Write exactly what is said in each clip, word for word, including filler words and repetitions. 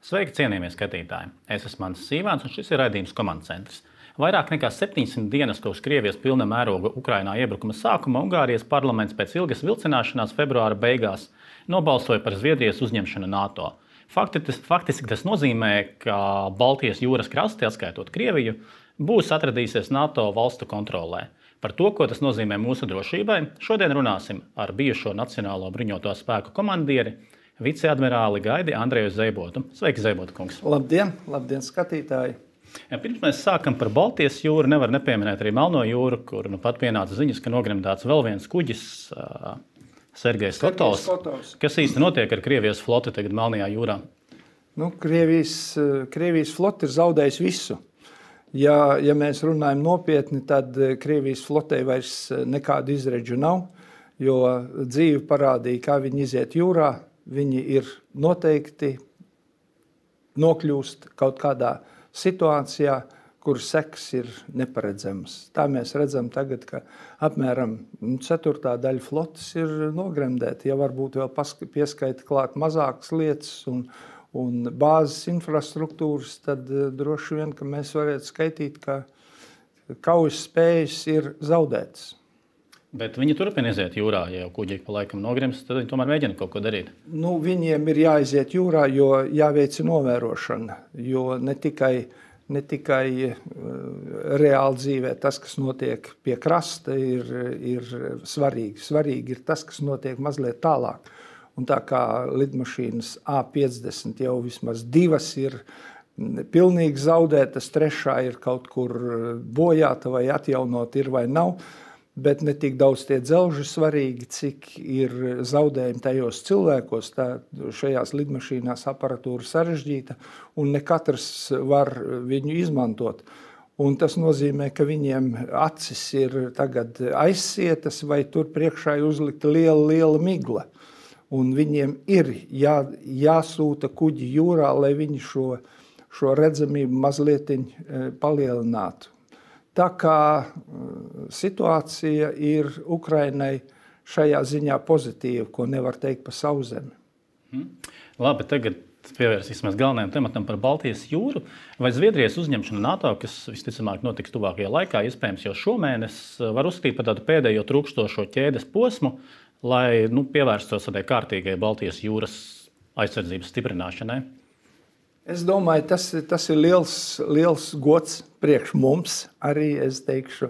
Sveiki, cienījamie skatītāji! Es esmu Mans Sīvāns, un šis ir raidījums Komandas centrs. Vairāk nekā septiņsimt dienas kopš Krievijas pilna mēroga Ukrainā iebrukuma sākuma Ungārijas parlaments pēc ilgas vilcināšanās februāra beigās nobalsoja par Zviedrijas uzņemšanu NATO. Faktiski tas nozīmē, ka Baltijas jūras krasti, atskaitot Krieviju, būs atradīsies NATO valstu kontrolē. Par to, ko tas nozīmē mūsu drošībai, šodien runāsim ar bijušo Nacionālo bruņoto spēku komandieri, viceadmirāli Gaidi Andreju Zeibotu. Sveiki, Zeibota kungs! Labdien, labdien skatītāji! Ja, pirms mēs sākam par Baltijas jūru, nevar nepieminēt arī Melno jūru, kur nu pat pienāca ziņas, ka nogremdēts vēl viens kuģis, uh, Sergejs Kotovs. Kotovs. Kas īsti notiek ar Krievijas floti tagad Melnajā jūrā? Nu, Krievijas, Krievijas floti ir zaudējis visu. Ja, ja mēs runājam nopietni, tad Krievijas flotei vairs nekādu izredžu nav, jo dzīve parādīja, kā viņi iziet jūrā. Viņi ir noteikti nokļūst kaut kādā situācijā, kur seks ir neparedzamas. Tā mēs redzam tagad, ka apmēram ceturtā daļa flotes ir nogremdēta. Ja varbūt vēl pieskaita klāt mazākas lietas un, un bāzes infrastruktūras, tad droši vien, ka mēs varētu skaitīt, ka kaujas spējas ir zaudētas. Bet viņi turpina iziet jūrā, ja jau kuģi pa laikam nogrimst, tad viņi tomēr mēģina kaut ko darīt. Nu, viņiem ir jāiziet jūrā, jo jāveic novērošana, jo ne tikai, ne tikai uh, reāli dzīvē tas, kas notiek pie krasta, ir, ir svarīgi. Svarīgi ir tas, kas notiek mazliet tālāk. Un tā kā lidmašīnas A piecdesmit jau vismaz divas ir pilnīgi zaudētas, trešā ir kaut kur bojāta vai atjaunot ir vai nav, bet ne tik daudz tie dzelži svarīgi, cik ir zaudējumi tajos cilvēkos. Tā, šajās lidmašīnās aparatūra sarežģīta, un ne katrs var viņu izmantot. Un tas nozīmē, ka viņiem acis ir tagad aizsietas, vai tur priekšā ir uzlikta liela, liela migla. Un viņiem ir jā, jāsūta kuģi jūrā, lai viņi šo, šo redzamību mazliet palielinātu. Tā kā situācija ir Ukrainai šajā ziņā pozitīva, ko nevar teikt par Sauszemi. Hmm. Labi, tagad pievērsīsimies galvenajam tematam par Baltijas jūru. Vai Zviedrijas uzņemšana NATO, kas visticamāk notiks tuvākajā laikā, iespējams jau šomēnes, var uzskatīt par tādu pēdējo trūkstošo ķēdes posmu, lai nu, pievērstos tādai kārtīgai Baltijas jūras aizsardzības stiprināšanai? Es domāju, tas, tas ir liels, liels gods priekš mums, arī, es teikšu,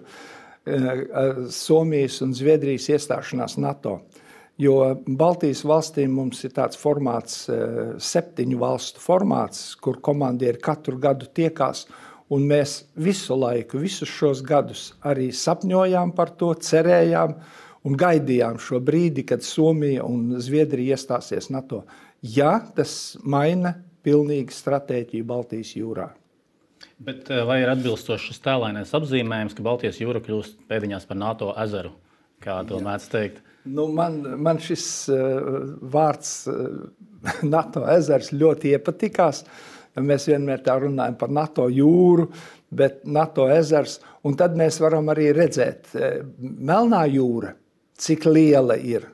Somijas un Zviedrijas iestāšanās NATO. Jo Baltijas valstīm mums ir tāds formāts, septiņu valstu formāts, kur komandieri katru gadu tiekās, un mēs visu laiku, visus šos gadus arī sapņojām par to, cerējām un gaidījām šo brīdi, kad Somija un Zviedrija iestāsies NATO. Ja tas maina pilnīgi stratēģiju Baltijas jūrā. Bet vai ir atbilstošs šis tēlainais apzīmējums, ka Baltijas jūra kļūst pēdiņās par NATO ezeru, kā to mēdz teikt? Nu, man, man šis uh, vārds uh, NATO ezers ļoti iepatikās. Mēs vienmēr tā runājam par NATO jūru, bet NATO ezers. Un tad mēs varam arī redzēt uh, Melnā jūra, cik liela ir,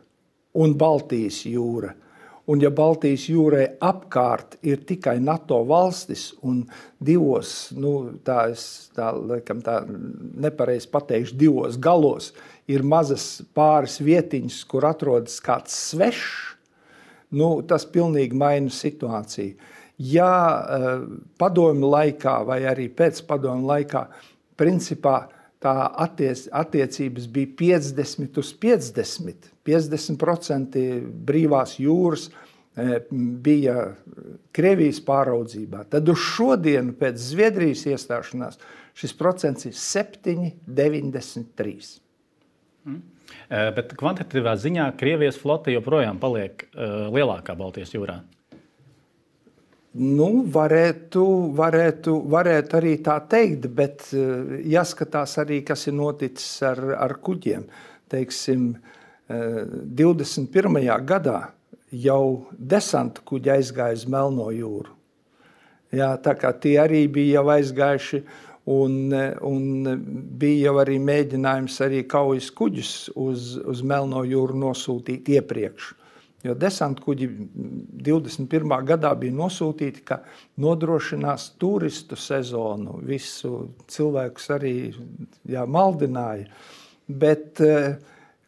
un Baltijas jūra. Un ja Baltijas jūrai apkārt ir tikai NATO valstis un divos, nu tā es tā, laikam tā nepareizi pateikšu, divos galos ir mazas pāris vietiņas, kur atrodas kāds svešs, nu tas pilnīgi maina situāciju. Ja padomju laikā vai arī pēc padomju laikā, principā tā attiec, attiecības bija piecdesmit uz piecdesmit. piecdesmit procenti brīvās jūras bija Krievijas pāraudzībā. Tad uz šodienu pēc Zviedrijas iestāšanās šis procents ir septiņi deviņdesmit trīs. Mm. Bet kvantitatīvā ziņā Krievijas flote joprojām paliek uh, lielākā Baltijas jūrā? Nu, varētu, varētu, varētu arī tā teikt, bet uh, jāskatās arī, kas ir noticis ar, ar kuģiem. Teiksim, uh, divdesmit pirmajā gadā jau desanta kuģi aizgāja uz Melno jūru. Jā, tā kā tie arī bija jau aizgājuši, un, un bija jau arī mēģinājums arī kaujas kuģus uz, uz Melno jūru nosūtīt iepriekš. Jo desantkuģi divdesmit pirmā gadā bija nosūtīti, ka nodrošinās turistu sezonu. Visu cilvēkus arī jā, maldināja. Bet eh,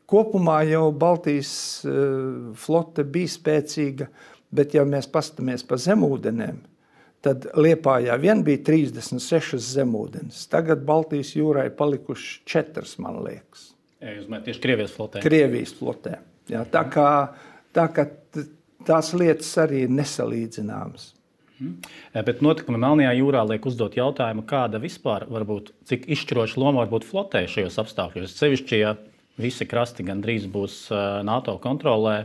kopumā jau Baltijas eh, flote bija spēcīga, bet ja mēs pastamies pa zemūdenēm, tad Liepājā vien bija trīsdesmit sešas zemūdenes. Tagad Baltijas jūrā ir palikuši četras, man liekas. Ja jūs mēt tieši Krievijas flotē. Krievijas flotē. Jā, tā kā, tā kā tās lietas arī ir nesalīdzināmas. Hmm. Bet notikumi Melnajā jūrā liek uzdot jautājumu, kāda vispār varbūt, cik izšķiroša loma var būt flotē šajos apstākļos. Sevišķi, ja visi krasti gandrīz būs NATO kontrolē,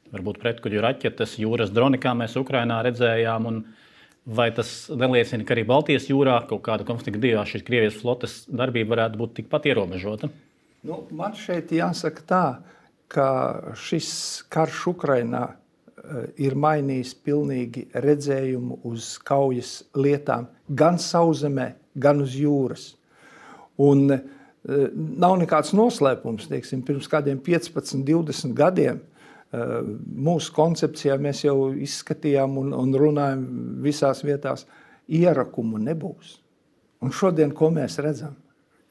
varbūt pretkuģu raķetes, jūras droni, kā mēs Ukrainā redzējām, un vai tas neliecina, ka arī Baltijas jūrā kaut kāda konflikta gadījumā šīs Krievijas flotes darbība varētu būt tikpat ierobežota? Nu, man šeit jāsaka tā, ka šis karš Ukrainā ir mainījis pilnīgi redzējumu uz kaujas lietām gan sauszemē, gan uz jūras. Un nav nekāds noslēpums, teiksim, pirms kādiem piecpadsmit, divdesmit gadiem mūsu koncepcijā mēs jau izskatījām un, un runājam visās vietās, ierakumu nebūs. Un šodien, ko mēs redzam?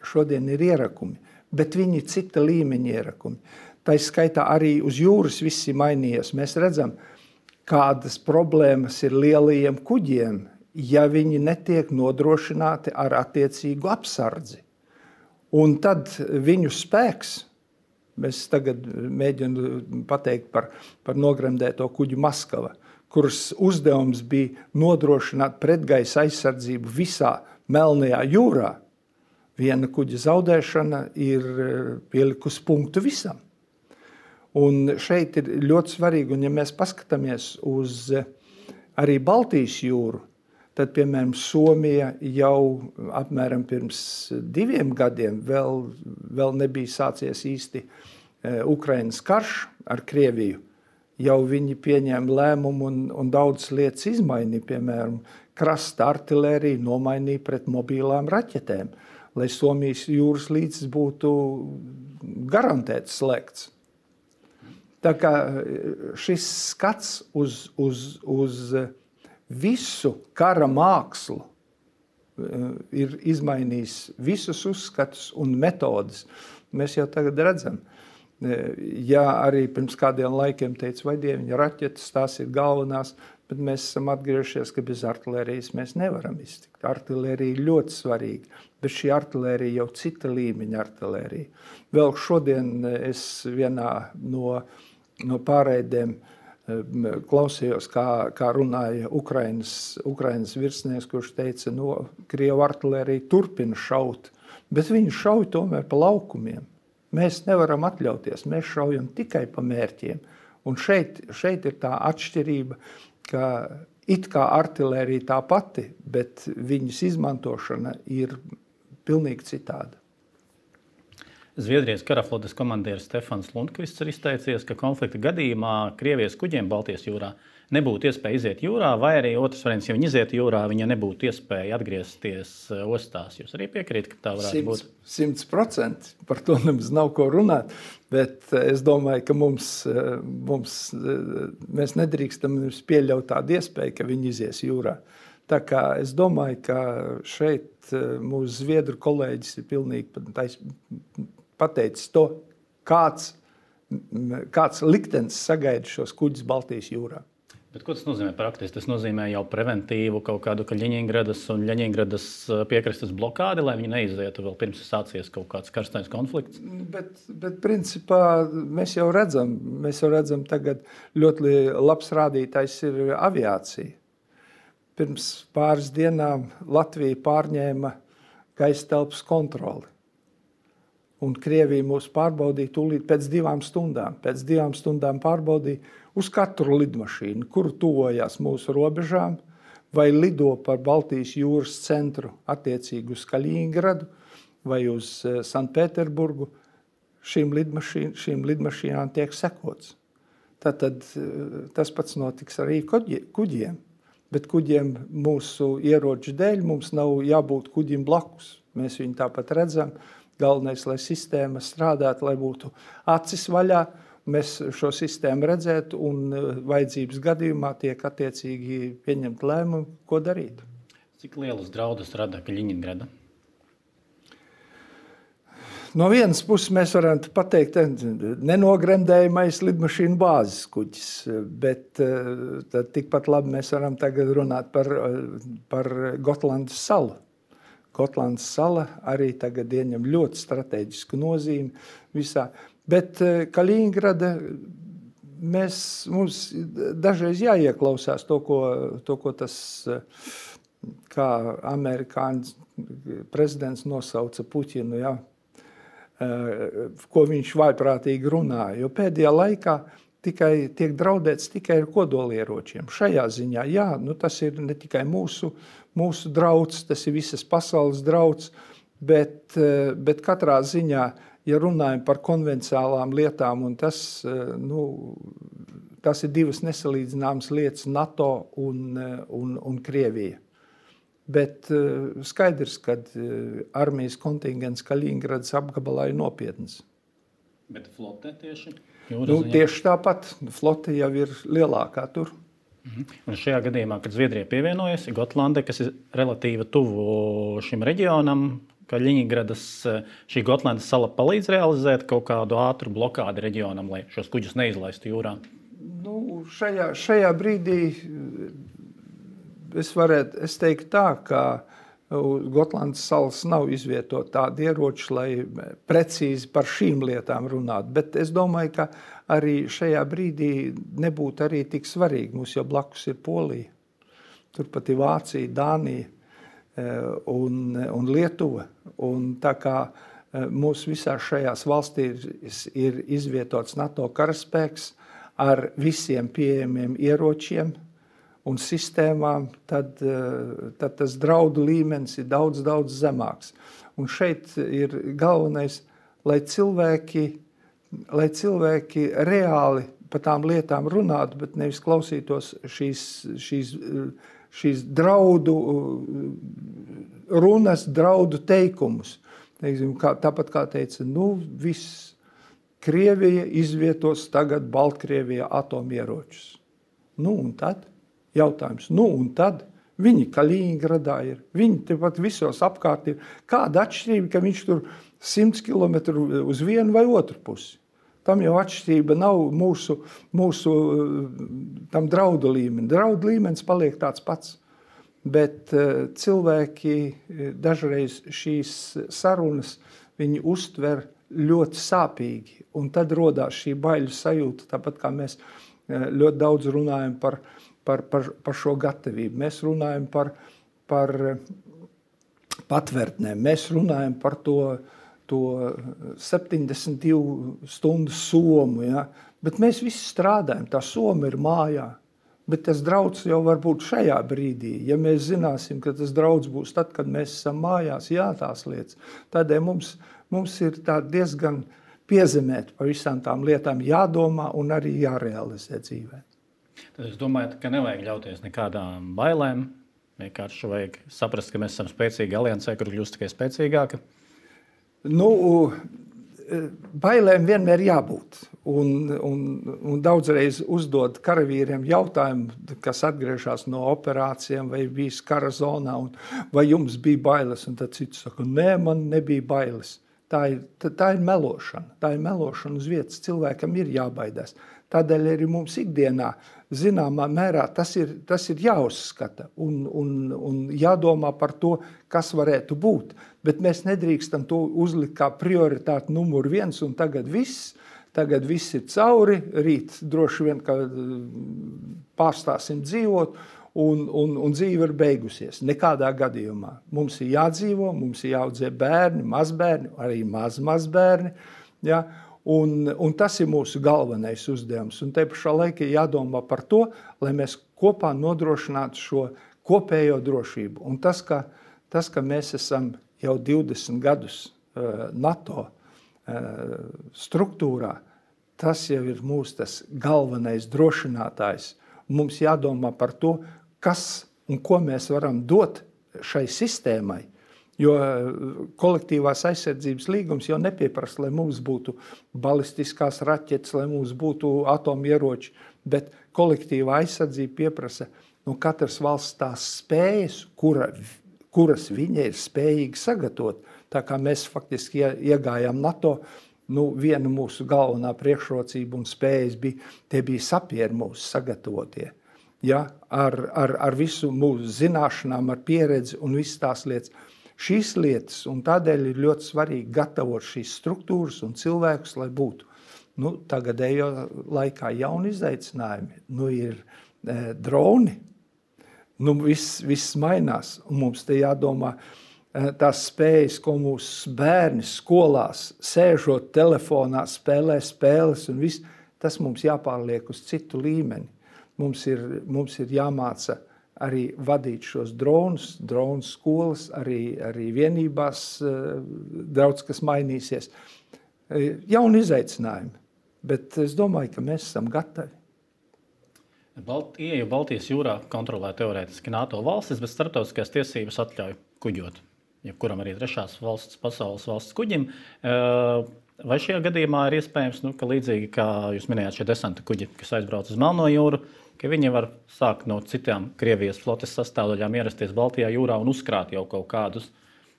Šodien ir ierakumi, bet viņi ir cita līmeņa ierakumi. Tā skaitā arī uz jūras viss ir mainījies. Mēs redzam, kādas problēmas ir lielajiem kuģiem, ja viņi netiek nodrošināti ar attiecīgu apsardzi. Un tad viņu spēks, mēs tagad mēģinu pateikt par, par nogremdēto kuģu Maskava, kuras uzdevums bija nodrošināt pretgaisa aizsardzību visā Melnajā jūrā. Viena kuģa zaudēšana ir pielikusi punktu visam. Un šeit ir ļoti svarīgi, un ja mēs paskatāmies uz arī Baltijas jūru, tad, piemēram, Somija jau apmēram pirms diviem gadiem vēl, vēl nebija sācies īsti Ukrainas karš ar Krieviju. Jau viņi pieņēma lēmumu un, un daudz lietas izmainīja, piemēram, krasta artilēriju nomainīja pret mobilām raķetēm, lai Somijas jūras līcis būtu garantēts slēgts. Tā kā šis skats uz, uz, uz visu kara mākslu ir izmainījis visus uzskatus un metodas. Mēs jau tagad redzam. Ja arī pirms kādiem laikiem teica, vai dieviņa raķetes, tās ir galvenās, bet mēs esam atgriežies, ka bez artilērijas mēs nevaram iztikt. Artilērija ir ļoti svarīga, bet šī artilērija jau cita līmeņa artilērija. Vēl šodien es vienā no, no pārēdēm klausījos, kā, kā runāja Ukrainas, Ukrainas virsnieks, kurš teica, no Krievu artilērija turpina šaut, bet viņi šauj tomēr pa laukumiem. Mēs nevaram atļauties, mēs šaujam tikai pa mērķiem. Un šeit, šeit ir tā atšķirība, ka it kā artilērija tā pati, bet viņas izmantošana ir pilnīgi citāda. Zviedrijas karaflotes komandieris Stefans Lundkvists ir izteicies, ka konflikta gadījumā Krievijas kuģiem Baltijas jūrā nebūtu iespēja iziet jūrā, vai arī otrs variants, ja viņi iziet jūrā, viņa nebūtu iespēja atgriezties ostās. Jūs arī piekrīt, ka tā varētu būt? Simts procenti. Par to nemaz nav ko runāt, bet es domāju, ka mums, mums, mēs nedrīkstam pieļaut tādu iespēju, ka viņi izies jūrā. Tā kā es domāju, ka šeit mūsu zviedru kolēģis ir pilnīgi pateicis to, kāds, kāds liktenis sagaida šos kuģus Baltijas jūrā. Bet ko tas nozīmē praktiski? Tas nozīmē jau preventīvu kaut kādu Ļeņingradas un Ļeņingradas piekrastes blokādi, lai viņi neizietu vēl pirms sācies kaut kāds karstais konflikts? Bet, bet principā mēs jau redzam, mēs jau redzam tagad ļoti labs rādītājs ir aviācija. Pirms pāris dienām Latvija pārņēma gaisa telpas kontroli. Un Krievija mūs pārbaudīja tūlīt pēc divām stundām. Pēc divām stundām pārbaudīja uz katru lidmašīnu, kuru tuvojās mūsu robežām, vai lido par Baltijas jūras centru attiecīgi uz Kaļiņingradu vai uz Sanktpēterburgu. Šīm, lidmašīn, šīm lidmašīnām tiek sekots. Tātad tas pats notiks arī kuģiem. Bet kuģiem mūsu ieroču dēļ mums nav jābūt kuģim blakus. Mēs viņu tāpat redzam. Galvenais, lai sistēma strādātu, lai būtu acis vaļā. mēs šo sistēmu redzētu un vajadzības gadījumā tiek attiecīgi pieņemt lēmumu, ko darīt. Cik lielas draudus rada Kaļiņingrada? No vienas puses mēs varam pateikt, nenogremdējamais lidmašīnu bāzes kuģis, bet tad tikpat labi mēs varam tagad runāt par, par Gotlandas salu. Gotlandas sala arī tagad ieņem ļoti strateģisku nozīmi visā. Bet Kaļiņingrada mēs, mums dažreiz jāieklausās to, ko, to, ko tas, kā amerikāņu prezidents nosauca Puķinu, ja, ko viņš vaiprātīgi runāja. Jo pēdējā laikā tikai tiek draudēts tikai ar kodolieročiem. Šajā ziņā, jā, nu tas ir ne tikai mūsu, mūsu drauds, tas ir visas pasaules drauds, bet, bet katrā ziņā, ja runājam par konvenciālām lietām, un tas, nu, tas ir divas nesalīdzināmas lietas NATO un, un, un Krievija. Bet skaidrs, ka armijas kontingents Kaļiņingradas apgabalā ir nopietns. Bet flote tieši? Nu, tieši tāpat. Flote jau ir lielākā tur. Un šajā gadījumā, kad Zviedrija pievienojas, Gotlande, kas ir relatīvi tuvu šim reģionam, Kaļiņingradas, šī Gotlandas sala palīdz realizēt kaut kādu ātru blokādi reģionam, lai šos kuģus neizlaistu jūrā? Nu, šajā, šajā brīdī es varētu, es teiktu tā, ka Gotlandas salas nav izvietot tādi ieroči, lai precīzi par šīm lietām runātu. Bet es domāju, ka arī šajā brīdī nebūtu arī tik svarīgi. Mums jau blakus ir Polija, turpat ir Vācija, Dānija un, un Lietuva. Un tā kā mūsu visās šajās valstīs ir, ir izvietots NATO karaspēks ar visiem pieejamiem ieročiem un sistēmām, tad, tad tas draudu līmenis ir daudz, daudz zemāks. Un šeit ir galvenais, lai cilvēki, lai cilvēki reāli par tām lietām runātu, bet nevis klausītos šīs, šīs, šīs draudu runas, draudu teikumus. Teiksim, kā, tāpat kā teica, nu viss, Krievija izvietos tagad Baltkrievijā atomieročus. Nu un tad? Jautājums, nu un tad viņi Kaļiņingradā ir, viņi tepat visos apkārt ir. Kāda atšķirība, ka viņš tur simts kilometru uz vienu vai otru pusi? Tam jau atšķirība nav mūsu, mūsu tam draudu līmeni. Draudu līmenis paliek tāds pats, bet cilvēki dažreiz šīs sarunas viņi uztver ļoti sāpīgi, un tad rodās šī baiļu sajūta, tāpat kā mēs ļoti daudz runājam par Par, par, par šo gatavību. Mēs runājam par, par patvērtnēm, mēs runājam par to, to septiņdesmit divu stundu somu, ja? Bet mēs visi strādājam, tā soma ir mājā, bet tas drauds jau var būt šajā brīdī. Ja mēs zināsim, ka tas drauds būs tad, kad mēs esam mājās, jā, tās lietas, tādēļ mums, mums ir tā diezgan piezemēt par visām tām lietām jādomā un arī jārealizē dzīvē. Tad jūs domājat, ka nevajag ļauties nekādām bailēm, vienkārši vajag saprast, ka mēs esam spēcīgi aliansē, kur kļūst tikai spēcīgāka? Nu, bailēm vienmēr jābūt. Un, un, un daudzreiz uzdod karavīriem jautājumu, kas atgriežas no operācijām vai bijis kara zonā, un vai jums bija bailes? Un tad cits saka, nē, man nebija bailes. Tā ir, tā, tā ir melošana. Tā ir melošana uz vietas. Cilvēkam ir jābaidās. Tādēļ arī mums ikdienā zināmā mērā tas ir, tas ir jāuzskata un, un, un jādomā par to, kas varētu būt. Bet mēs nedrīkstam to uzlikt kā prioritāti numur viens un tagad viss. Tagad viss ir cauri, rīt droši vien, ka pārstāsim dzīvot un, un, un dzīve ir beigusies. Nekādā gadījumā. Mums ir jādzīvo, mums ir jāaudzē bērni, mazbērni, arī maz mazbērni. Ja? Un, un tas ir mūsu galvenais uzdevums. Un te pašā laikā jādomā par to, lai mēs kopā nodrošinātu šo kopējo drošību. Un tas, ka, tas, ka mēs esam jau divdesmit gadus uh, NATO uh, struktūrā, tas jau ir mūsu tas galvenais drošinātājs. Mums jādomā par to, kas un ko mēs varam dot šai sistēmai, Jo kolektīvās aizsardzības līgums jau nepieprasa, lai mums būtu balistiskās raķetes, lai mums būtu atomieroči, bet kolektīvā aizsardzība pieprasa no katras valsts tās spējas, kura, kuras viņa ir spējīga sagatavot. Tā kā mēs faktiski iegājām NATO, nu, viena mūsu galvenā priekšrocība un spējas bija, tie bija sapieri mūsu sagatavotie. Ja, ar, ar, ar visu mūsu zināšanām, ar pieredzi un visas tās lietas. Šīs lietas, un tādēļ ir ļoti svarīgi gatavot šīs struktūras un cilvēkus, lai būtu. Nu, tagadējo laikā jauni izaicinājumi, nu, ir e, droni, nu, viss, viss mainās, un mums te jādomā, tās spējas, ko mūsu bērni skolās, sēžot telefonā, spēlē spēles un viss, tas mums jāpārliek uz citu līmeni. Mums ir, mums ir jāmāca arī vadīt šos dronus, dronu skolas, arī, arī vienībās daudz kas mainīsies. Jauni izaicinājumi, bet es domāju, ka mēs esam gatavi. Balt, ieju Baltijas jūrā kontrolē teorētiski NATO valstis, bet starptautiskās tiesības atļauj kuģot. Jebkuram arī trešās valsts, pasaules valsts kuģim. Vai šajā gadījumā ir iespējams, nu, ka līdzīgi kā jūs minējāt šie desanta kuģi, kas aizbrauc uz Melno jūru, ka viņi var sākt no citām Krievijas flotes sastāvdaļām ierasties Baltijā jūrā un uzkrāt jau kaut kādus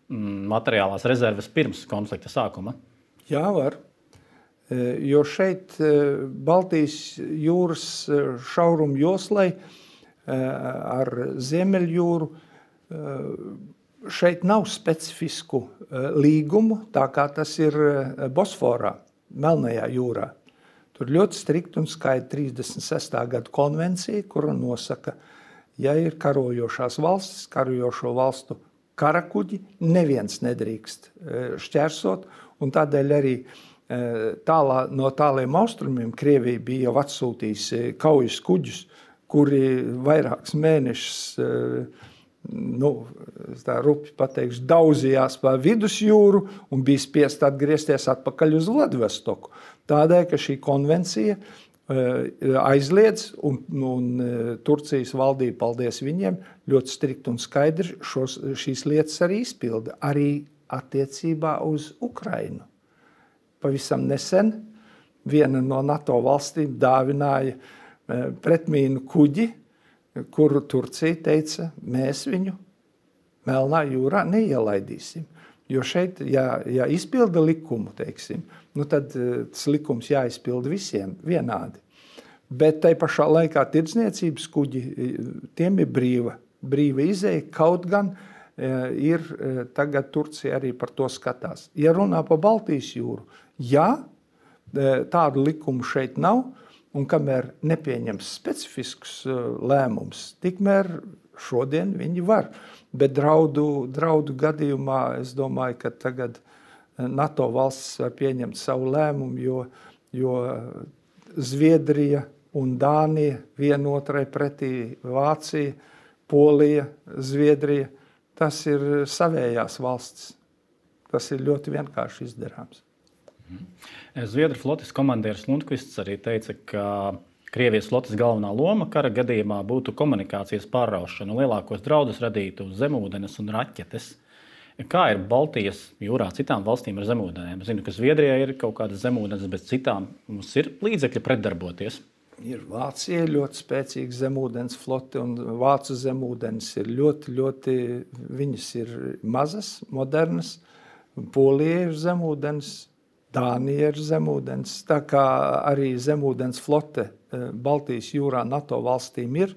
mm, materiālās rezerves pirms konflikta sākuma? Jā, var. Jo šeit Baltijas jūras šaurumu joslai ar Ziemeļjūru šeit nav specifisku līgumu, tā kā tas ir Bosforā, Melnajā jūrā. Tur ļoti strikt un skaidri trīsdesmit sestā gada konvencija, kura nosaka, ja ir karojošās valstis, karojošo valstu karakuģi, neviens nedrīkst šķērsot, un tādēļ arī tālā, no tāliem austrumiem Krievija bija jau atsūtījusi kaujas kuģus, kuri vairākus mēnešus nu, tā rupi pateikšu, daudzījās pa vidusjūru un bija spiest atgriezties atpakaļ uz Vladivostoku. Tādēļ, ka šī konvencija aizliedz un, un Turcijas valdība, paldies viņiem, ļoti strikt un skaidri šos, šīs lietas arī izpilda, arī attiecībā uz Ukrainu. Pavisam nesen viena no NATO valstīm dāvināja pretmīnu kuģi, kuru Turcija teica, mēs viņu Melnā jūrā neielaidīsim. Jo šeit, ja, ja izpilda likumu, teiksim, nu tad tas likums jāizpilda visiem vienādi. Bet tai pašā laikā tirdzniecības kuģi, tiem ir brīva, brīva izeja, kaut gan ir tagad Turcija arī par to skatās. Ja runā pa Baltijas jūru, jā, tādu likumu šeit nav, un kamēr nepieņems specifiskus lēmumus, tikmēr šodien viņi var. Bet draudu, draudu gadījumā es domāju, ka tagad NATO valstis var pieņemt savu lēmumu, jo, jo Zviedrija un Dānija vienotrai pretī Vācija, Polija, Zviedrija, tas ir savējās valstis. Tas ir ļoti vienkārši izdarāms. Zviedru flotes komandieris Lundkvists arī teica, ka Krievijas flotes galvenā loma kara gadījumā būtu komunikācijas pārraušana, lielākos draudus radītu zemūdenes un raķetes. Kā ir Baltijas jūrā citām valstīm ar zemūdenēm? Zinu, ka Zviedrijā ir kaut kādas zemūdenes, bet citām mums ir līdzekļi pretdarboties. Ir Vācija ļoti spēcīga zemūdens flote, un Vācu zemūdenes ir ļoti, ļoti, viņas ir mazas, modernas, Polija ir zemūdens, Dānija ir zemūdens, tā kā arī zemūdens flote Baltijas jūrā NATO valstīm ir.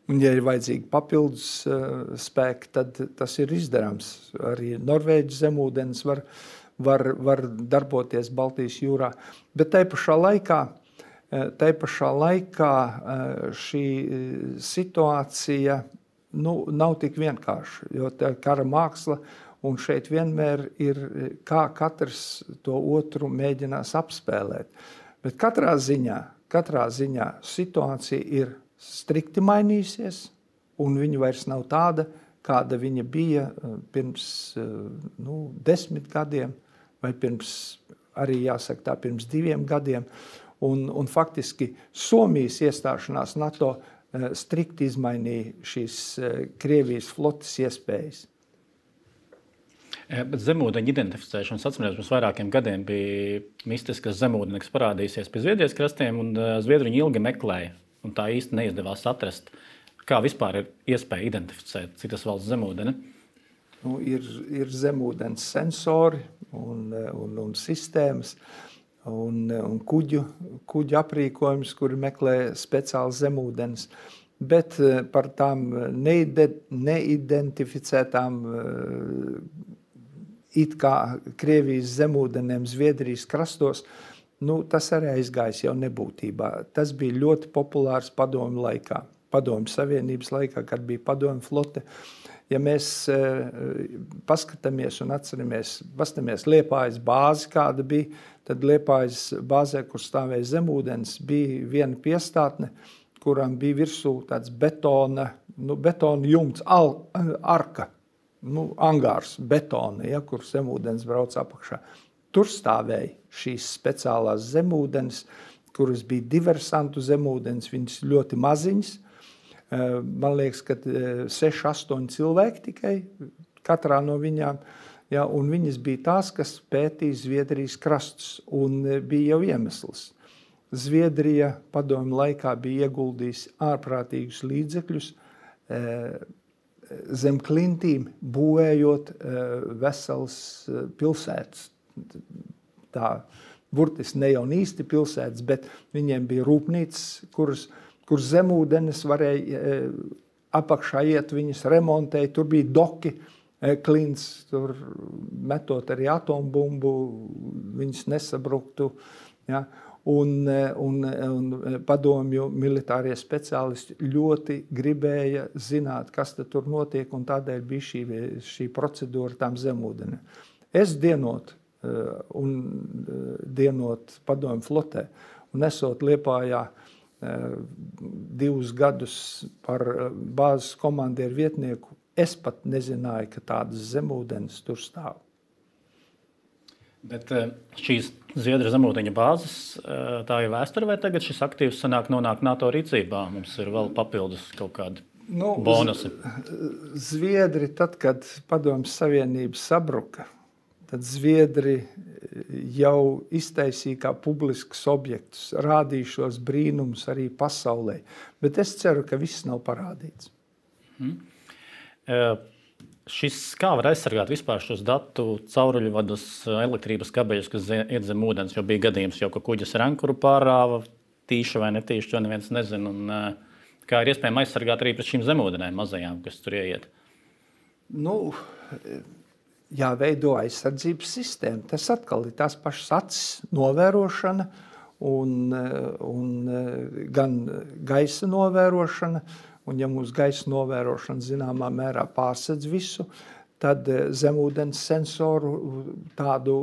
Un, ja ir vajadzīgi papildus spēki, tad tas ir izdarāms. Arī Norvēģis zemūdens var, var, var darboties Baltijas jūrā. Bet tai pašā laikā, tai pašā laikā šī situācija nu, nav tik vienkārša, jo tā kara māksla. Un šeit vienmēr ir, kā katrs to otru mēģinās apspēlēt. Bet katrā ziņā, katrā ziņā situācija ir strikti mainījusies, un viņa vairs nav tāda, kāda viņa bija pirms nu, desmit gadiem, vai pirms, arī jāsaka tā, pirms diviem gadiem. Un, un faktiski Somijas iestāšanās NATO strikti izmainīja šīs Krievijas flotes iespējas. Bet zemūdeņa identificēšanas atcerēs pirms vairākiem gadiem bija mistiskas zemūdeņa, kas parādīsies pie Zviedrijas krastiem, un zviedri viņu ilgi meklēja, un tā īsti neizdevās atrast. Kā vispār ir iespēja identificēt citas valsts zemūdeni? Nu, ir, ir zemūdens sensori un, un, un sistēmas un, un kuģu, kuģu aprīkojums, kuri meklē speciāli zemūdens. Bet par tām neide, neidentificētām it kā Krievijas zemūdenēm Zviedrijas krastos, nu, tas arī aizgājis jau nebūtībā. Tas bija ļoti populārs padomju laikā, padomju savienības laikā, kad bija padomju flote. Ja mēs paskatāmies un atceramies, paskatāmies Liepājas bāzi, kāda bija, tad Liepājas bāzē, kur stāvēja zemūdens, bija viena piestātne, kurām bija virsū tāds betona, nu, betona jumts, al, arka, nu, angārs, betona, ja, kur zemūdens brauc apakšā. Tur stāvēja šīs speciālās zemūdens, kuras bija diversantu zemūdens, viņas ļoti maziņas. Man liekas, ka seši, astoņi cilvēki tikai katrā no viņām, ja, un viņas bija tās, kas pētīja Zviedrijas krastus, un bija jau iemesls. Zviedrija padomju laikā bija ieguldījusi ārprātīgus līdzekļus zem klintīm, būvējot veselas pilsētas. Tā burtiski ne jau īsti pilsētas, bet viņiem bija rūpnīcas, kuras kur zemūdenes varēja apakšā iet, viņas remontēja, tur bija doki, klints, tur metot arī atombumbu, viņas nesabruktu. Ja? Un, un, un padomju militārie speciālisti ļoti gribēja zināt, kas tur notiek, un tādēļ bija šī, šī procedūra tām zemūdenēm. Es dienot, un dienot padomju flotē, un esot Liepājā, divus gadus par bāzes komandieru vietnieku, es pat nezināju, ka tādas zemūdenes tur stāv. Bet šīs Zviedru zemūdeņa bāzes, tā ir vēsture, vai tagad šis aktīvs sanāk nonāk NATO rīcībā? Mums ir vēl papildus kaut kādi nu, bonusi. Zviedri, tad, kad Padomju Savienība sabruka, tad Zviedri jau iztaisīja kā publiskus objektus, rādīja šos brīnumus arī pasaulē. Bet es ceru, ka viss nav parādīts. Hmm. Uh, šis, kā var aizsargāt vispār šos datu cauruļvadus, elektrības kabeļus, kas iet zem ūdens, jo bija gadījums jau, ka kuģis rankuru pārāva, tīši vai netīši, to neviens nezin. Un, uh, kā ir iespējams aizsargāt arī pret šīm zemūdenēm mazajām, kas tur ieiet? Nu... jāveido aizsardzības sistēma. Tas atkal ir tās pašas acis novērošana un, un gan gaisa novērošana, un ja mums gaisa novērošana zināmā mērā pārsedz visu, tad zemūdens sensoru tādu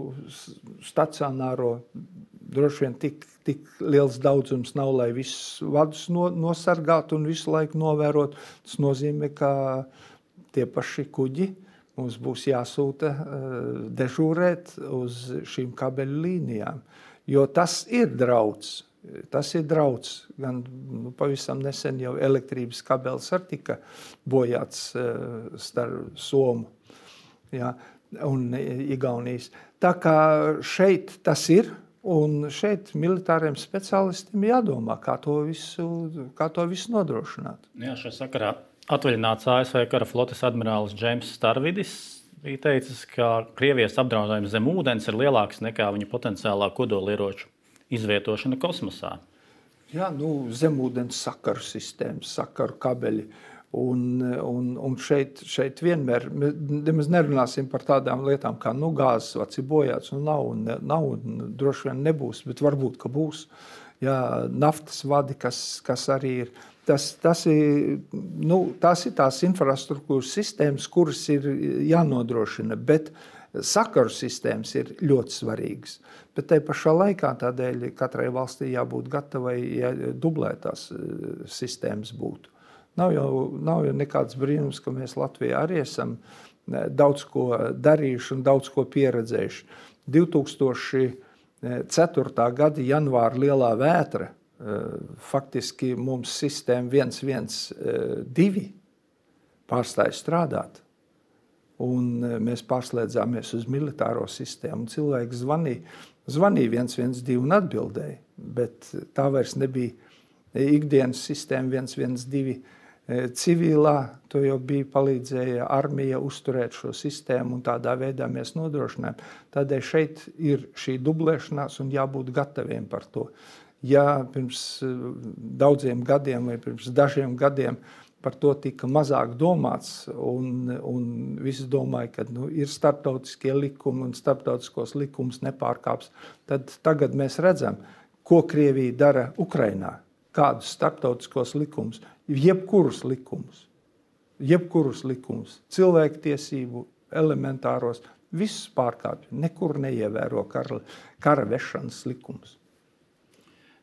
stacionāro droši vien tik, tik liels daudzums nav, lai visus vadus no, nosargātu un visu laiku novērot. Tas nozīmē, ka tie paši kuģi mums būs jāsūta uh, dežūrēt uz šīm kabeļu līnijām, jo tas ir drauds. Tas ir drauds. Gan nu, pavisam nesen jau elektrības kabelis arī tika bojāts uh, starp Somu, ja, un Igaunijas. Tā kā šeit tas ir, un šeit militāriem speciālistiem jādomā, kā to visu, kā to visu nodrošināt. Jā, šajā sakarā atvaļināts A S V kara flotes admirālis Džeims Starvidis bija teicis, ka Krievijas apdraudējums zem ūdens ir lielāks nekā viņa potenciālā kodolieroču izvietošana kosmosā. Jā, nu, zemūdens sakaru sistēmas, sakaru kabeļi. Un, un, un šeit, šeit vienmēr, mēs nerunāsim par tādām lietām kā nu, gāzes vats ir bojāts, un nav, un nav, un droši vien nebūs, bet varbūt, ka būs. Jā, naftas vadi, kas, kas arī ir. Tas, tas ir, nu, tās ir tās infrastruktūras sistēmas, kuras ir jānodrošina, bet sakaru sistēmas ir ļoti svarīgas. Bet tai pašā laikā tādēļ katrai valstī jābūt gatavai, ja dublētās sistēmas būtu. Nav jau, nav jau nekāds brīnums, ka mēs Latvijā arī esam daudz ko darījuši un daudz ko pieredzējuši. divi tūkstoši ceturtā gada janvāra lielā vētra, faktiski mums sistēma viens viens divi pārstāja strādāt. un mēs pārslēdzāmies uz militāro sistēmu. Cilvēki zvanīja, zvanīja viens viens divi un atbildēja, bet tā vairs nebija ikdienas sistēma viens viens divi civilā, to jau bija palīdzēja armija uzturēt šo sistēmu, un tādā veidā mēs nodrošinājām. Tādēļ šeit ir šī dublēšanās un jābūt gataviem par to. Ja pirms daudziem gadiem vai pirms dažiem gadiem par to tika mazāk domāts, un, un visi domāja, ka nu, ir starptautiskie likumi un starptautiskos likumus nepārkāps, tad tagad mēs redzam, ko Krievija dara Ukrainā, kādus starptautiskos likumus, jebkurus likumus, jebkurus likumus, cilvēktiesību, elementāros, visus pārkāpj, nekur neievēro kara, kara vešanas likumus.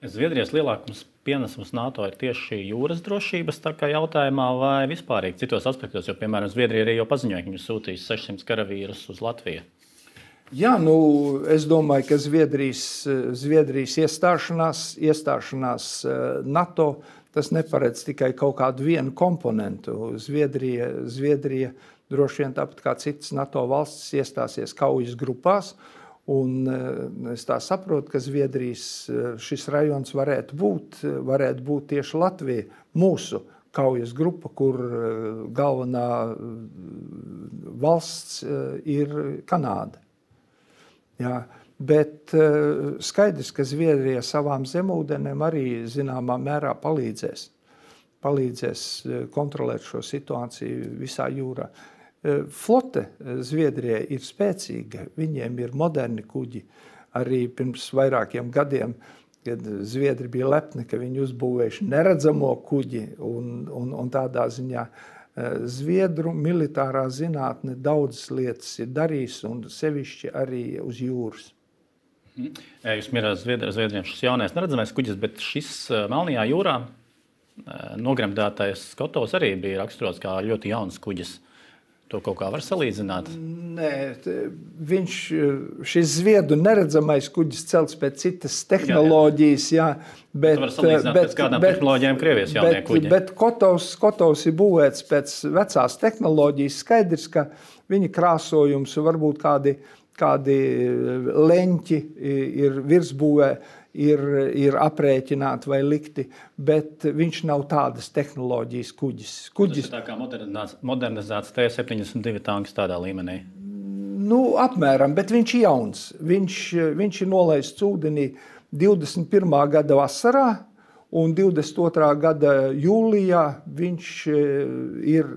Zviedrijas lielākums pienesums NATO ir tieši šī jūras drošības tā kā jautājumā vai vispārīgi citos aspektos, jo, piemēram, Zviedrija arī jau paziņoja, ka viņi sūtīs sešsimt karavīrus uz Latviju. Jā, nu, es domāju, ka Zviedrijas, Zviedrijas iestāšanās, iestāšanās NATO, tas neparedz tikai kaut kādu vienu komponentu. Zviedrija, Zviedrija droši vien tāpat kā citas NATO valstis iestāsies kaujas grupās, un es tā saprotu, ka Zviedrijas šis rajons varētu būt, varētu būt tieši Latvija, mūsu kaujas grupa, kur galvenā valsts ir Kanāda. Jā, bet skaidrs, ka Zviedrija savām zemūdenēm arī zināmā mērā palīdzēs, palīdzēs kontrolēt šo situāciju visā jūrā. Flote Zviedrijai ir spēcīga, viņiem ir moderni kuģi. Arī pirms vairākiem gadiem, kad Zviedri bija lepni, ka viņi uzbūvējuši neredzamo kuģi, un, un, un tādā ziņā Zviedru militārā zinātne daudzas lietas ir darījis, un sevišķi arī uz jūras. Jūs minējāt Zviedriem šis jaunais neredzamais kuģis, bet šis Melnajā jūrā nogremdētais Skotovs arī bija raksturots kā ļoti jauns kuģis. To kaut kā var salīdzināt? Nē, viņš, šis Zviedru neredzamais kuģis celts pēc citas tehnoloģijas, jā, bet... Tu var salīdzināt bet, pēc kādām bet, tehnoloģijām Krievijas jaunie kuģi. Bet, bet Kotovs, Kotovs ir būvēts pēc vecās tehnoloģijas. Skaidrs, ka viņa krāsojums varbūt kādi, kādi leņķi ir virsbūvē, ir, ir aprēķināti vai likti, bet viņš nav tādas tehnoloģijas kuģis. kuģis. Tas ir tā kā modernizēts, modernizēts T septiņdesmit divi tanks tādā līmenī? Nu, apmēram, bet viņš ir jauns. Viņš, viņš ir nolaists ūdenī divdesmit pirmā gada vasarā, un divdesmit otrā gada jūlijā viņš ir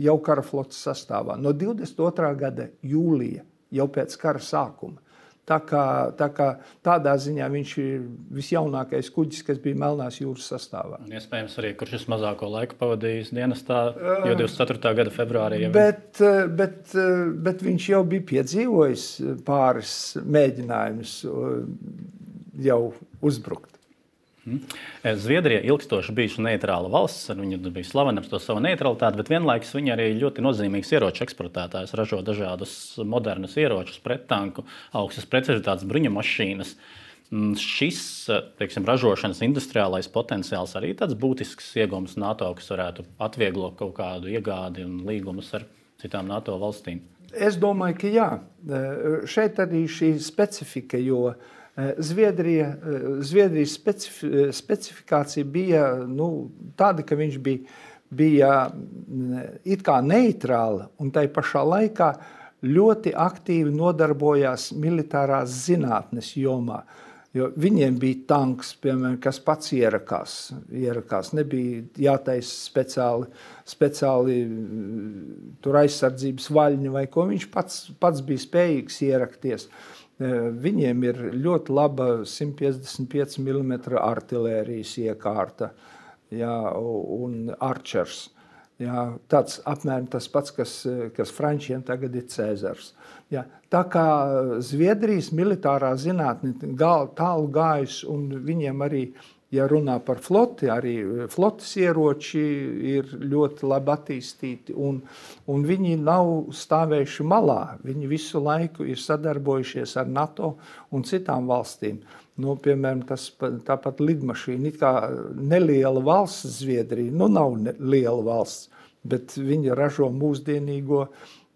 jau kara flotes sastāvā. No divdesmit otrā gada jūlija, jau pēc kara sākuma. Tā kā, tā kā tādā ziņā viņš ir visjaunākais kuģis, kas bija Melnās jūras sastāvā. Un iespējams arī, kurš es mazāko laiku pavadījis dienestā, jo divdesmit ceturtā gada februārī. Jau... Bet, bet, bet viņš jau bija piedzīvojis pāris mēģinājumus jau uzbrukt. Zviedrija ilgstoši bijuši neitrāla valsts, viņa bija slavena par to savu neutralitāti, bet vienlaikus viņa arī ļoti nozīmīgs ieroču eksportētājs, ražo dažādus modernus ieročus, prettanku, augstas precizitātes bruņumašīnas. Šis, teiksim, ražošanas industriālais potenciāls arī tāds būtisks iegūms NATO, kas varētu atvieglot kaut kādu iegādi un līgumus ar citām NATO valstīm. Es domāju, ka jā. Šeit arī šī specifika, jo Zviedrija, Zviedrijas specif, specifikācija bija nu, tāda, ka viņš bija, bija it kā neitrāla un tai pašā laikā ļoti aktīvi nodarbojās militārās zinātnes jomā. Jo viņiem bija tanks, piemēram, kas pats ierakās. ierakās. Nebija jātaisa speciāli, speciāli tur aizsardzības vaļņi vai ko. Viņš pats, pats bija spējīgs ierakties. Viņiem ir ļoti laba simt piecdesmit pieci milimetri artilērijas iekārta, jā, un Archers. Jā, tāds apmēram tas pats, kas, kas frančiem tagad ir Cēzars. Jā, tā kā Zviedrijas militārā zinātne tālu gājusi, un viņiem arī, ja runā par floti, arī flotes ieroči ir ļoti labi attīstīti, un, un viņi nav stāvējuši malā. Viņi visu laiku ir sadarbojušies ar NATO un citām valstīm. Nu, piemēram, tas, tāpat lidmašīna, it kā neliela valsts Zviedrija, nu nav liela valsts, bet viņi ražo mūsdienīgo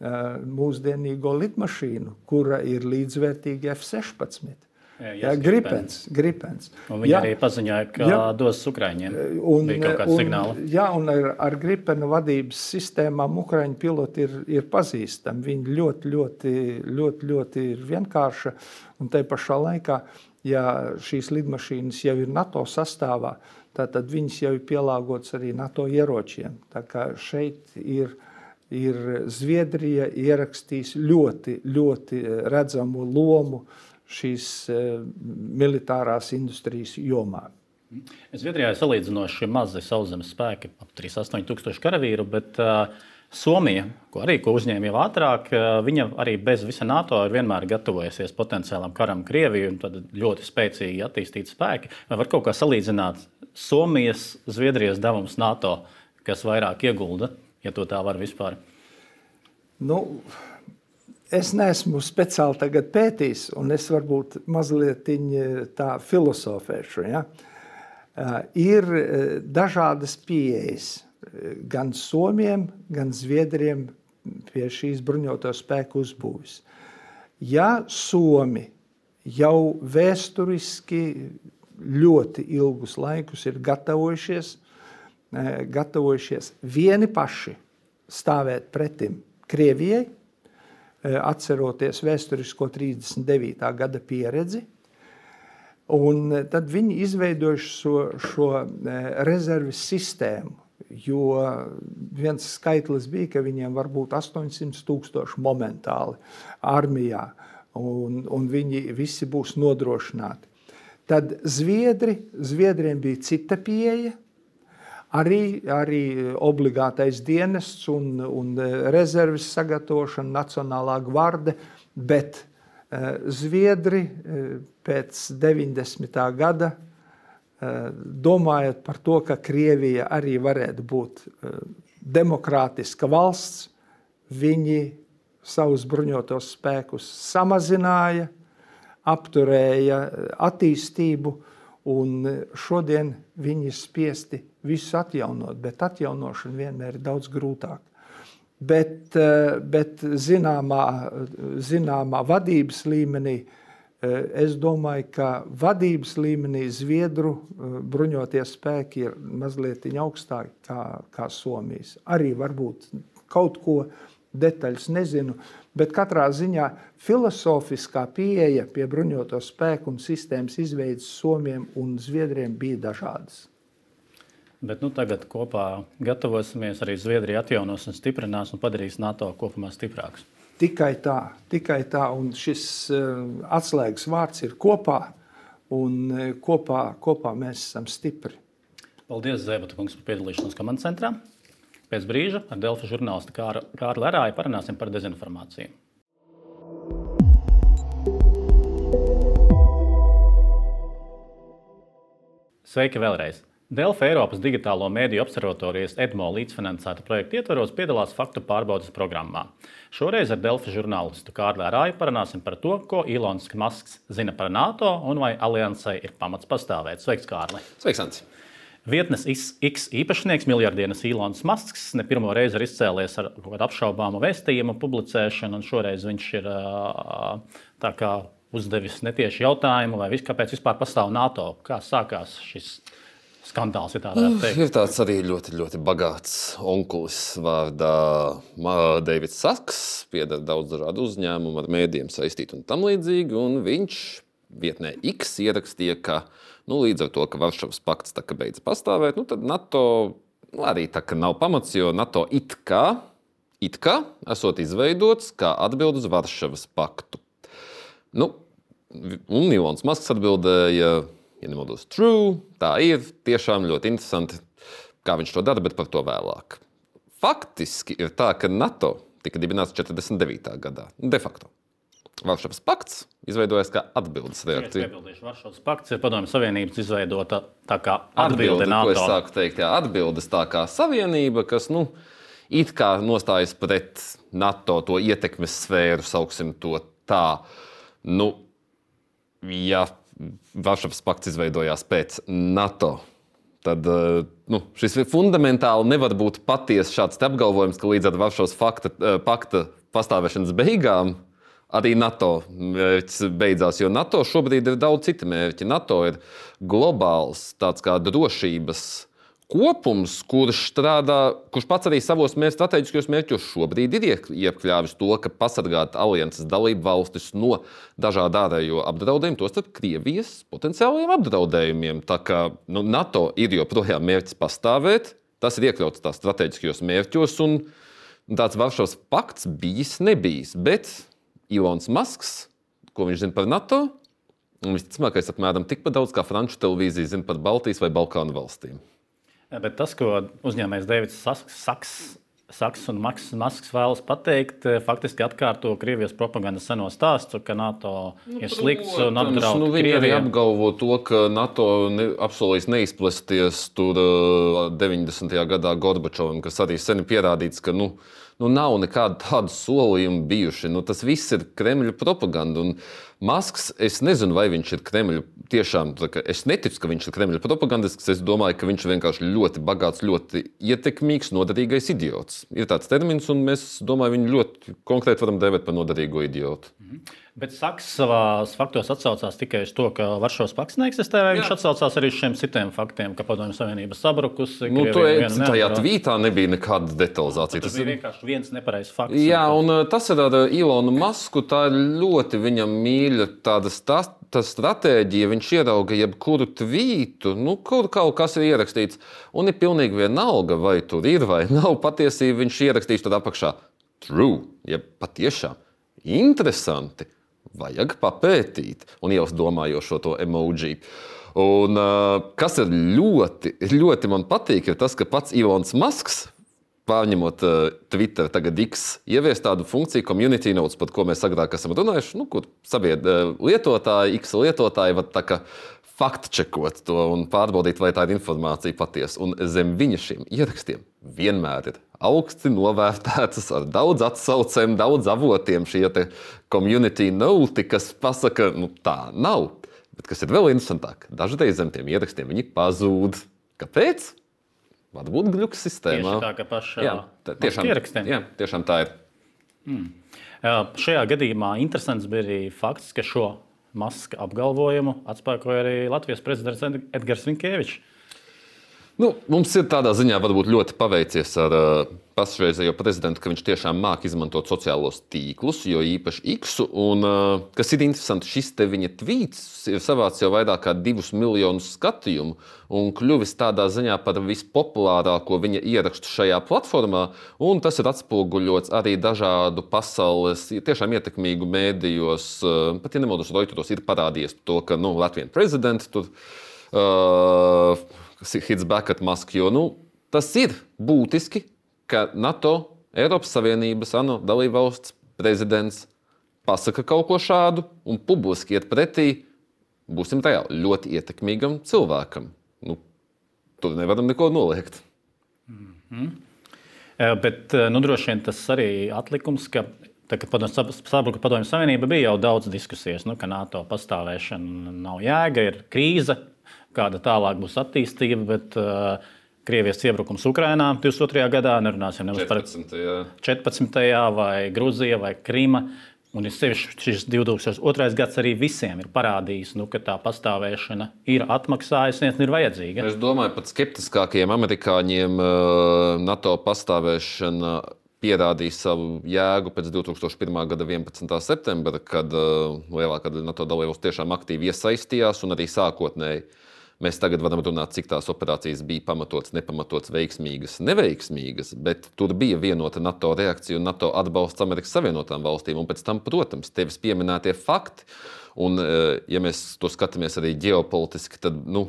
mūsdienīgo lidmašīnu, kura ir līdzvērtīga F sešpadsmit. Jā, jā, gripens, gripens. Un viņi jā, arī paziņoja, ka jā, dos Ukraiņiem. Un, bija kaut kāds un, signāli. Jā, un ar, ar gripenu vadības sistēmām Ukraiņu piloti ir, ir pazīstami. Viņi ļoti, ļoti, ļoti, ļoti ir vienkārša. Un tai pašā laikā, ja šīs lidmašīnas jau ir NATO sastāvā, tad viņas jau ir pielāgotas arī NATO ieročiem. Tā kā šeit ir, ir Zviedrija ierakstījis ļoti, ļoti redzamu lomu šīs uh, militārās industrijas jomā. Zviedrijā ir salīdzinoši mazi sauszemes spēki, ap trīsdesmit astoņi tūkstoši karavīru, bet uh, Somija, ko arī ko uzņēma jau ātrāk, uh, viņa arī bez visa NATO ir vienmēr gatavojusies potenciālam karam Krieviju un tad ļoti spēcīgi attīstīti spēki. Vai var kaut kā salīdzināt Somijas, Zviedrijas devums NATO, kas vairāk iegulda, ja to tā var vispār? Nu... Es neesmu speciāli tagad pētījis, un es varbūt mazliet tā filosofēšu. Ja? Ir dažādas pieejas gan Somiem, gan Zviedriem pie šīs bruņoto spēku uzbūves. Ja Somi jau vēsturiski ļoti ilgus laikus ir gatavojušies, gatavojušies vieni paši stāvēt pretim Krievijai, atceroties vēsturisko trīsdesmit devītā gada pieredzi, un tad viņi izveidojuši šo, šo rezerves sistēmu, jo viens skaitlis bija, ka viņiem var būt astoņsimt tūkstoši momentāli armijā, un, un viņi visi būs nodrošināti. Tad Zviedri, Zviedriem bija cita pieeja, Arī, arī obligātais dienests un, un rezerves sagatavošana, nacionālā gvarde, bet uh, Zviedri uh, pēc deviņdesmitā gada, uh, domājot par to, ka Krievija arī varētu būt uh, demokrātiska valsts, viņi savus bruņotos spēkus samazināja, apturēja attīstību, un šodien viņi ir spiesti visu atjaunot, bet atjaunošana vienmēr ir daudz grūtāk. Bet, bet zināmā, zināmā vadības līmenī, es domāju, ka vadības līmenī Zviedru bruņotie spēki ir mazliet augstāki kā, kā Somijas. Arī varbūt kaut ko detaļas nezinu, bet katrā ziņā filosofiskā pieeja pie bruņoto spēku un sistēmas izveidas Somiem un Zviedriem bija dažādas. Bet nu, tagad kopā gatavosimies, arī Zviedrija atjaunos un stiprinās un padarīs NATO kopumā stiprāks. Tikai tā, tikai tā, un šis uh, atslēgas vārds ir kopā, un uh, kopā, kopā mēs esam stipri. Paldies, Zēbata kungs, par piedalīšanos komandas centrā. Pēc brīža ar Delfi žurnālistu Kārli Lerāju parunāsim par dezinformāciju. Sveiki vēlreiz! Delfi Eiropas digitālo mēdiju observatorijas EDMO līdzfinansēta projekta ietvaros piedalās faktu pārbaudes programmā. Šoreiz ar Delfi žurnālistu Kārli Lerāju parunāsim par to, ko Ilons Masks zina par NATO un vai aliansei ir pamats pastāvēt. Sveiks, Kārli! Sveiks, Anci! Vietnes X īpašnieks, miljardieris Ilons Masks, ne pirmo reizi ir izcēlies ar kaut kādu apšaubāmu vēstījumu publicēšanu, un šoreiz viņš ir tā kā uzdevis netieši jautājumu, vai vis, kāpēc vispār pastāv NATO. Kā sākās šis skandāls, ja tā varētu teikt? Ir tāds arī ļoti, ļoti bagāts onkulis vārdā Davids Saks, pieder daudz dažādu uzņēmumu, ar mēdījiem saistīt un tam līdzīgi, un viņš vietnē X ierakstīja, ka nu, līdz ar to, ka Varšavas pakts tā kā beidz pastāvēt, nu, tad NATO nu, arī tā kā nav pamats, jo NATO it kā, it kā esot izveidots kā atbild uz Varšavas paktu. Nu, un Ilons Masks atbildēja, ja nemaldos, true, tā ir, tiešām ļoti interesanti, kā viņš to dara, bet par to vēlāk. Faktiski ir tā, ka NATO tika dibināts četrdesmit devītā gadā, de facto. Varšavas pakts izveidojas kā atbildes reakcija. Varšavas pakts ir Padomju Savienības izveidota tā kā atbilde, atbilde NATO. Ko es sāku teikt, jā, atbildes tā kā savienība, kas, nu, it kā nostājas pret NATO to ietekmes sfēru, sauksim to tā. Nu, ja Varšavas pakts izveidojās pēc NATO tad nu, šis fundamentāli nevar būt patiesi šāds apgalvojums, ka līdz ar Varšavas fakta, pakta pastāvēšanas beigām arī NATO mērķis beidzās, jo NATO šobrīd ir daudz citi mērķi. NATO ir globāls tāds kā drošības kopums, kurš strādā, kurš pats arī savos mērķi, strateģiskajos mērķos šobrīd ir iekļāvis to, ka pasargāt alianses dalību valstis no dažādu ārējo apdraudējumu, tostarp Krievijas potenciālajiem apdraudējumiem. Tā kā nu, NATO ir joprojām mērķis pastāvēt, tas ir iekļauts tās strateģiskajos mērķos, un tāds Varšavas pakts bijis nebijis, bet Ilons Masks, ko viņš zina par NATO, un visticamākais apmēram tikpat daudz kā franču televīzija zina par Baltijas vai Balkānu valstīm. Bet tas, ko uzņēmējs Deivids Saks, Saks un Masks vēlas pateikt, faktiski atkārto Krievijas propagandas seno stāstu, ka NATO nu, ir slikts un apdraud nu, viņi Krieviju. Viņi arī apgalvo to, ka NATO ne, apsolīs neizplesties tur deviņdesmitajā gadā Gorbačovam, kas arī sen pierādīts, ka nu, nu, nav nekāda tāda solījuma bijuši. Nu, tas viss ir Kremļa propaganda. Un Masks, es nezinu, vai viņš ir Kremļa tiešām, es neticu, ka viņš ir Kremļa propagandisks, es domāju, ka viņš ir vienkārši ļoti bagāts, ļoti ietekmīgs, noderīgais idiots. Ir tāds termins, un mēs, domāju, viņu ļoti konkrēti varam dēvēt par noderīgo idiotu. Mhm. Bet Saks savās faktos atsaucās tikai uz to, ka Varšavas pakts neeksistē, vai viņš atsaucās arī uz šiem citiem faktiem, ka Padomju Savienība sabrukusi? Nu, to tajā tvītā nebija nekāda detalizācija. Tas, tas bija vienkārši viens nepareizs fakts. Jā, un tas ir ar Ilonu Masku, tā ir ļoti viņam mīļa tāda tā stratēģija. Viņš ierauga jebkuru tvītu, nu, kur kaut kas ir ierakstīts, un ir pilnīgi vienalga, vai tur ir vai nav patiesība, viņš ierakstīs tad apakšā true, ja patiešām interesanti. Vajag papētīt, un jau domājošo to emoji. Un, uh, kas ir ļoti, ļoti man patīk, ir tas, ka pats Ilons Masks, pārņemot uh, Twitter, tagad X, ievies tādu funkciju community notes, par ko mēs agrāk esam runājuši, nu, kur sabied uh, lietotāji, X lietotāji var tā kā faktčekot to un pārbaudīt, vai tā ir informācija patiesa. Un zem viņa šiem ierakstiem vienmēr ir augsti novērtētas ar daudz atsaucēm, daudz avotiem šie te community note, kas pasaka, nu tā nav. Bet kas ir vēl interesantāk, dažreiz zem tiem ierakstiem viņi pazūd. Kāpēc? Varbūt gļuks sistēmā. Tieši tā, ka pašā jā, tā, tiešām, ierakstiem. Jā, tiešām tā ir. Mm. Jā, šajā gadījumā interesants bija arī fakts, ka šo Maska apgalvojumu atspēkoja arī Latvijas prezidents Edgars Rinkēvičs. Nu, mums ir tādā ziņā varbūt ļoti paveicies ar uh, pašreizējo prezidentu, ka viņš tiešām māk izmantot sociālos tīklus, jo īpaši X-u. Un, uh, kas ir interesanti, šis te viņa tvīts ir savācis jau vairāk kā divus miljonus skatījumu un kļuvis tādā ziņā par vispopulārāko viņa ierakstu šajā platformā. Un tas ir atspoguļots arī dažādu pasaules tiešām ietekmīgu mēdījos. Uh, pat, ja nemaldos, Reuteros ir parādījies to, ka nu, Latvijas prezidents tur uh, hits back at Musk, jo nu, tas ir būtiski, ka NATO, Eiropas Savienības, ANO dalībvalsts prezidents pasaka kaut ko šādu un publiski iet pretī, būsim reāli, ļoti ietekmīgam cilvēkam. Nu, tur nevaram neko noliegt. Mm-hmm. Bet nu, droši vien tas arī atlikums, ka tā, kad sabruka Padomju Savienība, bija jau daudz diskusijas, nu, ka NATO pastāvēšana nav jēga, ir krīze, kāda tālāk būs attīstība, bet uh, Krievijas iebrukums Ukrainā divdesmit otrajā gadā, nerunāsim nemaz par četrpadsmitajā vai Gruzija vai Krima, un ir sevišķi šis divdesmit otrais gads arī visiem ir parādījis, nu, ka tā pastāvēšana ir atmaksājusies un ir vajadzīga. Es domāju, pat skeptiskākajiem amerikāņiem NATO pastāvēšana pierādīja savu jēgu pēc divtūkstoš pirmā gada vienpadsmitā septembra, kad uh, lielākā daļa NATO dalībvalstu tiešām aktīvi iesaistījās un arī sākotnēji. Mēs tagad varam runāt, cik tās operācijas bija pamatotas, nepamatotas, veiksmīgas, neveiksmīgas, bet tur bija vienota NATO reakcija un NATO atbalsts Amerikas Savienotām valstīm. Un pēc tam, protams, tevis pieminētie fakti. Un, ja mēs to skatāmies arī ģeopolitiski, tad, nu,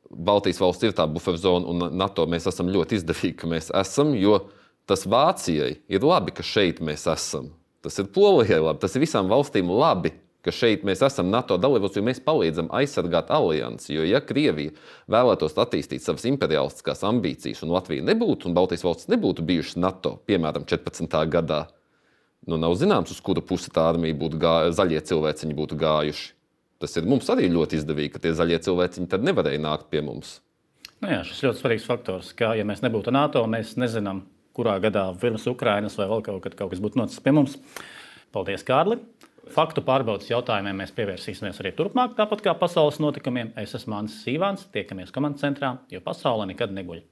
Baltijas valsts ir tā buferzona un NATO mēs esam ļoti izdevīgi, ka mēs esam, jo tas Vācijai ir labi, ka šeit mēs esam. Tas ir Polijai labi, tas ir visām valstīm labi, ka šeit mēs esam NATO dalībvalsts, jo mēs palīdzam aizsargāt aliansi. Jo, ja Krievija vēlētos attīstīt savas imperialistiskās ambīcijas un Latvija nebūtu un Baltijas valsts nebūtu bijušas NATO, piemēram, četrpadsmitā gadā, nu nav zināms, uz kuru pusi tā armija būtu gājuši, zaļie cilvēciņi būtu gājuši. Tas ir mums arī ļoti izdevīgi, ka tie zaļie cilvēciņi tad nevarēja nākt pie mums. Nu jā, šis ļoti svarīgs faktors, ka, ja mēs nebūtu NATO, mēs nezinām, kurā gadā pirms Ukrainas vai vēl kaut, kad kaut kas būtu noticis pie mums. Paldies, Kārli! Faktu pārbaudas jautājumiem mēs pievērsīsimies arī turpmāk, tāpat kā pasaules notikumiem. Es esmu Mānis Sīvāns, tiekamies komandas centrā, jo pasaule nekad neguļ.